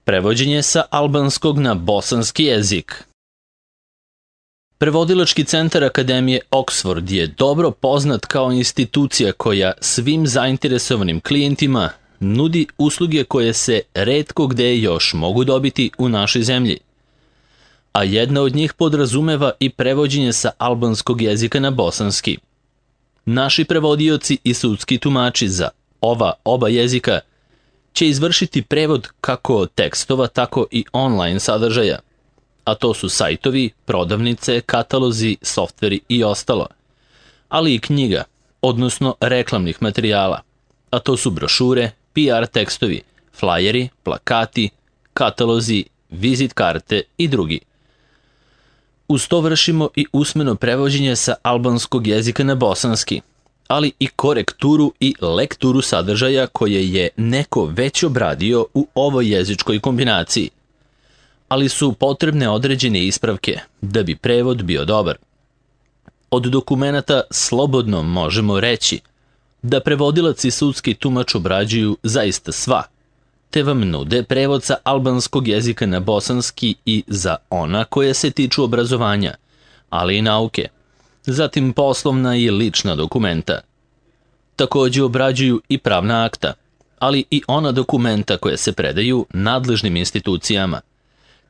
Prevođenje sa albanskog na bosanski jezik. Prevodilački centar Akademije Oxford je dobro poznat kao institucija koja svim zainteresovanim klijentima nudi usluge koje se retko gde još mogu dobiti u našoj zemlji. A jedna od njih podrazumeva i prevođenje sa albanskog jezika na bosanski. Naši prevodioci i sudski tumači za oba jezika će izvršiti prevod kako tekstova, tako i online sadržaja, a to su sajtovi, prodavnice, katalozi, softveri i ostalo, ali i knjiga, odnosno reklamnih materijala, a to su brošure, PR tekstovi, flajeri, plakati, katalozi, vizit karte i drugi. Uz to vršimo i usmeno prevođenje sa albanskog jezika na bosanski, ali i korekturu i lekturu sadržaja koje je neko već obradio u ovoj jezičkoj kombinaciji, ali su potrebne određene ispravke da bi prevod bio dobar. Od dokumenata slobodno možemo reći da prevodilac i sudski tumač obrađuju zaista sva, te vam nude prevod sa albanskog jezika na bosanski i za ona koje se tiču obrazovanja, ali i nauke, zatim poslovna i lična dokumenta. Takođe obrađuju i pravna akta, ali i ona dokumenta koje se predaju nadležnim institucijama,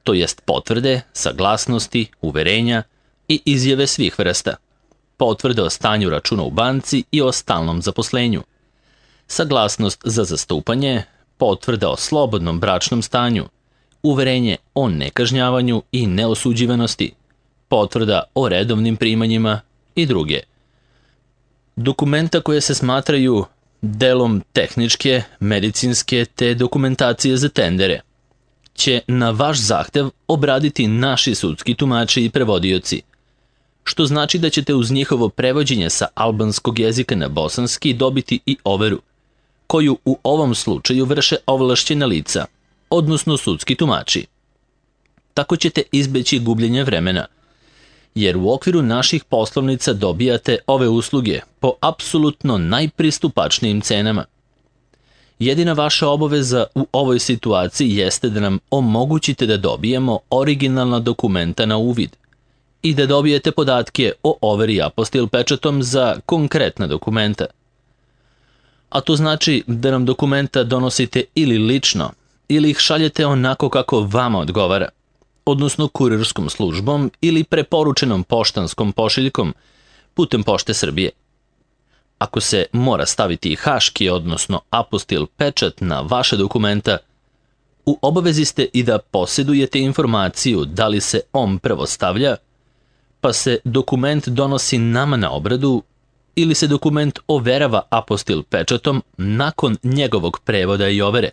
to jest potvrde, saglasnosti, uverenja i izjave svih vrsta, potvrde o stanju računa u banci i o stalnom zaposlenju, saglasnost za zastupanje, potvrda o slobodnom bračnom stanju, uverenje o nekažnjavanju i neosuđivanosti, potvrda o redovnim primanjima i druge. Dokumenta koje se smatraju delom tehničke, medicinske te dokumentacije za tendere će na vaš zahtev obraditi naši sudski tumači i prevodioci, što znači da ćete uz njihovo prevođenje sa albanskog jezika na bosanski dobiti i overu, koju u ovom slučaju vrše ovlašćena lica, odnosno sudski tumači. Tako ćete izbeći gubljenje vremena, jer u okviru naših poslovnica dobijate ove usluge po apsolutno najpristupačnijim cenama. Jedina vaša obaveza u ovoj situaciji jeste da nam omogućite da dobijemo originalna dokumenta na uvid i da dobijete podatke o overi apostil pečatom za konkretna dokumenta. A to znači da nam dokumenta donosite ili lično, ili ih šaljete onako kako vama odgovara, odnosno kurirskom službom ili preporučenom poštanskom pošiljkom putem Pošte Srbije. Ako se mora staviti haški, odnosno apostil pečat na vaše dokumenta, u obavezi ste i da posjedujete informaciju da li se on prvo stavlja, pa se dokument donosi nama na obradu, ili se dokument overava apostil pečatom nakon njegovog prevoda i overe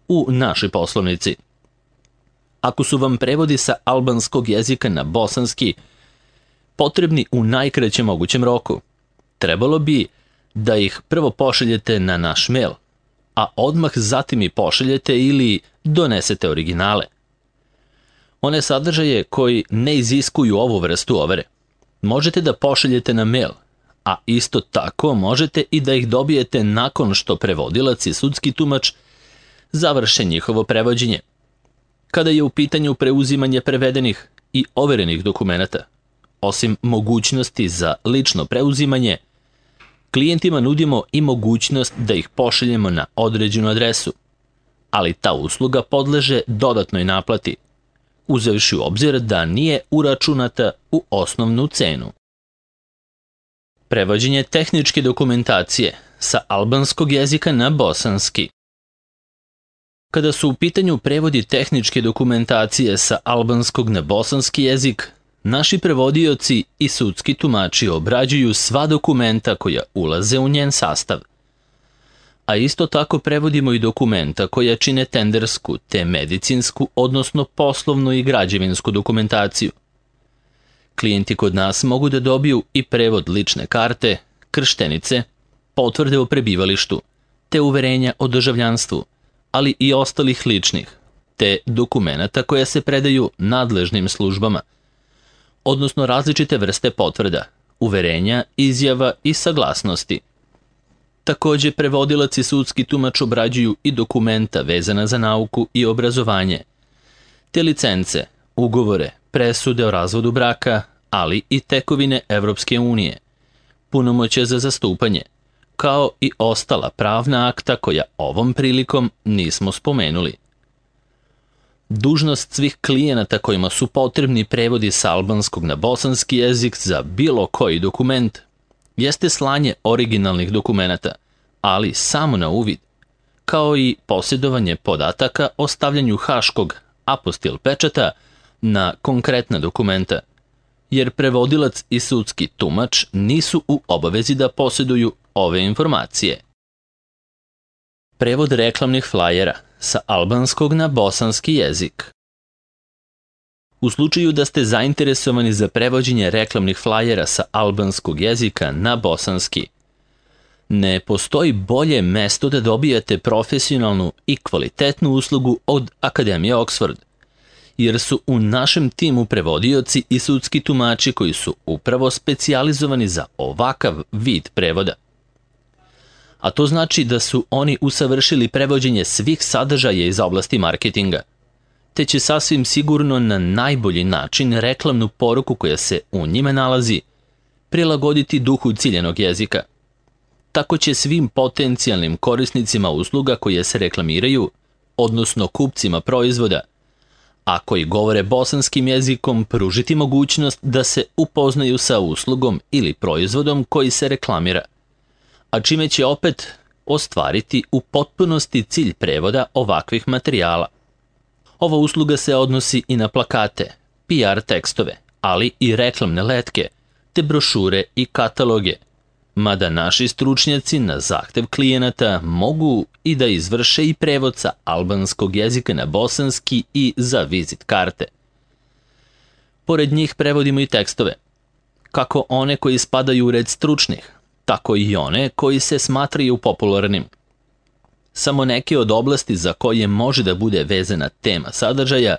u našoj poslovnici. Ako su vam prevodi sa albanskog jezika na bosanski potrebni u najkraćem mogućem roku, trebalo bi da ih prvo pošaljete na naš mail, a odmah zatim i pošaljete ili donesete originale. One sadržaje koji ne iziskuju ovu vrstu overe možete da pošaljete na mail, a isto tako možete i da ih dobijete nakon što prevodilac i sudski tumač završe njihovo prevođenje. Kada je u pitanju preuzimanje prevedenih i overenih dokumenata, osim mogućnosti za lično preuzimanje, klijentima nudimo i mogućnost da ih pošaljemo na određenu adresu, ali ta usluga podleže dodatnoj naplati, uzevši u obzir da nije uračunata u osnovnu cenu. Prevođenje tehničke dokumentacije sa albanskog jezika na bosanski. Kada su u pitanju prevodi tehničke dokumentacije sa albanskog na bosanski jezik, naši prevodioci i sudski tumači obrađuju sva dokumenta koja ulaze u njen sastav. A isto tako prevodimo i dokumenta koja čine tendersku te medicinsku, odnosno poslovnu i građevinsku dokumentaciju. Klijenti kod nas mogu da dobiju i prevod lične karte, krštenice, potvrde o prebivalištu, te uverenja o državljanstvu, ali i ostalih ličnih, te dokumenata koja se predaju nadležnim službama, odnosno različite vrste potvrda, uverenja, izjava i saglasnosti. Takođe, prevodilac i sudski tumač obrađuju i dokumenta vezana za nauku i obrazovanje, te licence, ugovore, presude o razvodu braka, ali i tekovine Evropske unije, punomoćje za zastupanje, kao i ostala pravna akta koja ovom prilikom nismo spomenuli. Dužnost svih klijenata kojima su potrebni prevodi sa albanskog na bosanski jezik za bilo koji dokument jeste slanje originalnih dokumenata, ali samo na uvid, kao i posjedovanje podataka o stavljanju haškog apostil pečata na konkretna dokumenta, jer prevodilac i sudski tumač nisu u obavezi da posjeduju ove informacije. Prevod reklamnih flajera sa albanskog na bosanski jezik. U slučaju da ste zainteresovani za prevođenje reklamnih flajera sa albanskog jezika na bosanski, ne postoji bolje mesto da dobijete profesionalnu i kvalitetnu uslugu od Akademije Oxford, jer su u našem timu prevodioci i sudski tumači koji su upravo specijalizovani za ovakav vid prevoda. A to znači da su oni usavršili prevođenje svih sadržaja iz oblasti marketinga, te će sasvim sigurno na najbolji način reklamnu poruku koja se u njima nalazi prilagoditi duhu ciljenog jezika. Tako će svim potencijalnim korisnicima usluga koje se reklamiraju, odnosno kupcima proizvoda, a koji govore bosanskim jezikom, pružiti mogućnost da se upoznaju sa uslugom ili proizvodom koji se reklamira, a čime će opet ostvariti u potpunosti cilj prevoda ovakvih materijala. Ova usluga se odnosi i na plakate, PR tekstove, ali i reklamne letke, te brošure i kataloge, mada naši stručnjaci na zahtev klijenata mogu i da izvrše i prevod sa albanskog jezika na bosanski i za vizit karte. Pored njih prevodimo i tekstove, kako one koji spadaju u red stručnih, tako i one koji se smatraju popularnim. Samo neke od oblasti za koje može da bude vezana tema sadržaja,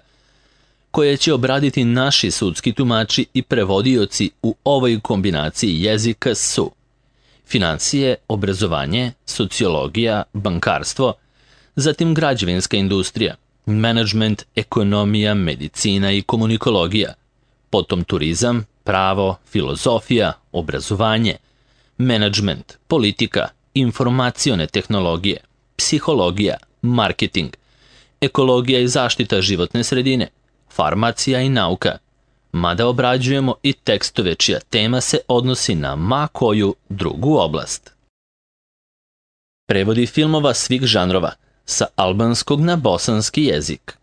koje će obraditi naši sudski tumači i prevodioci u ovoj kombinaciji jezika su financije, obrazovanje, sociologija, bankarstvo, zatim građevinska industrija, menadžment, ekonomija, medicina i komunikologija, potom turizam, pravo, filozofija, obrazovanje, menadžment, politika, informacione tehnologije, psihologija, marketing, ekologija i zaštita životne sredine, farmacija i nauka, mada obrađujemo i tekstove čija tema se odnosi na ma koju drugu oblast. Prevodi filmova svih žanrova sa albanskog na bosanski jezik.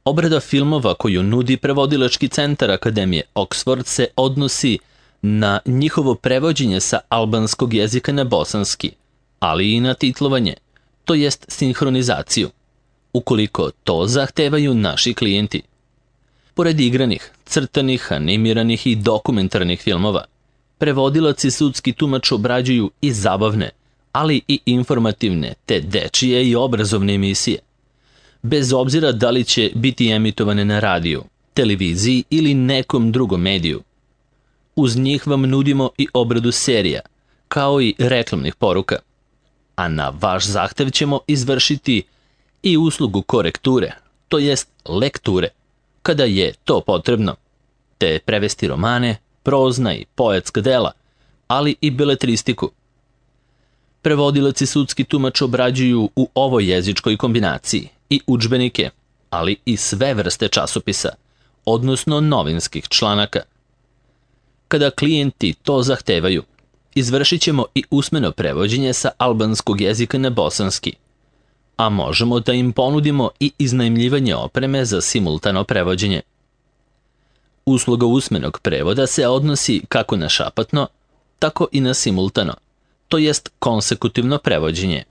Obrada filmova koju nudi prevodilački centar Akademije Oxford se odnosi na njihovo prevođenje sa albanskog jezika na bosanski, ali i na titlovanje, to jest sinhronizaciju, ukoliko to zahtevaju naši klijenti. Pored igranih, crtanih, animiranih i dokumentarnih filmova, prevodilac i sudski tumač obrađuju i zabavne, ali i informativne, te dečije i obrazovne emisije, bez obzira da li će biti emitovane na radiju, televiziji ili nekom drugom mediju. Uz njih vam nudimo i obradu serija, kao i reklamnih poruka, a na vaš zahtev ćemo izvršiti i uslugu korekture, to jest lekture, kada je to potrebno, te prevesti romane, prozna i poetska dela, ali i beletristiku. Prevodilac i sudski tumač obrađuju u ovoj jezičkoj kombinaciji i udžbenike, ali i sve vrste časopisa, odnosno novinskih članaka. Kada klijenti to zahtevaju, izvršit ćemo i usmeno prevođenje sa albanskog jezika na bosanski, a možemo da im ponudimo i iznajmljivanje opreme za simultano prevođenje. Usluga usmenog prevoda se odnosi kako na šapatno, tako i na simultano, to jest konsekutivno prevođenje.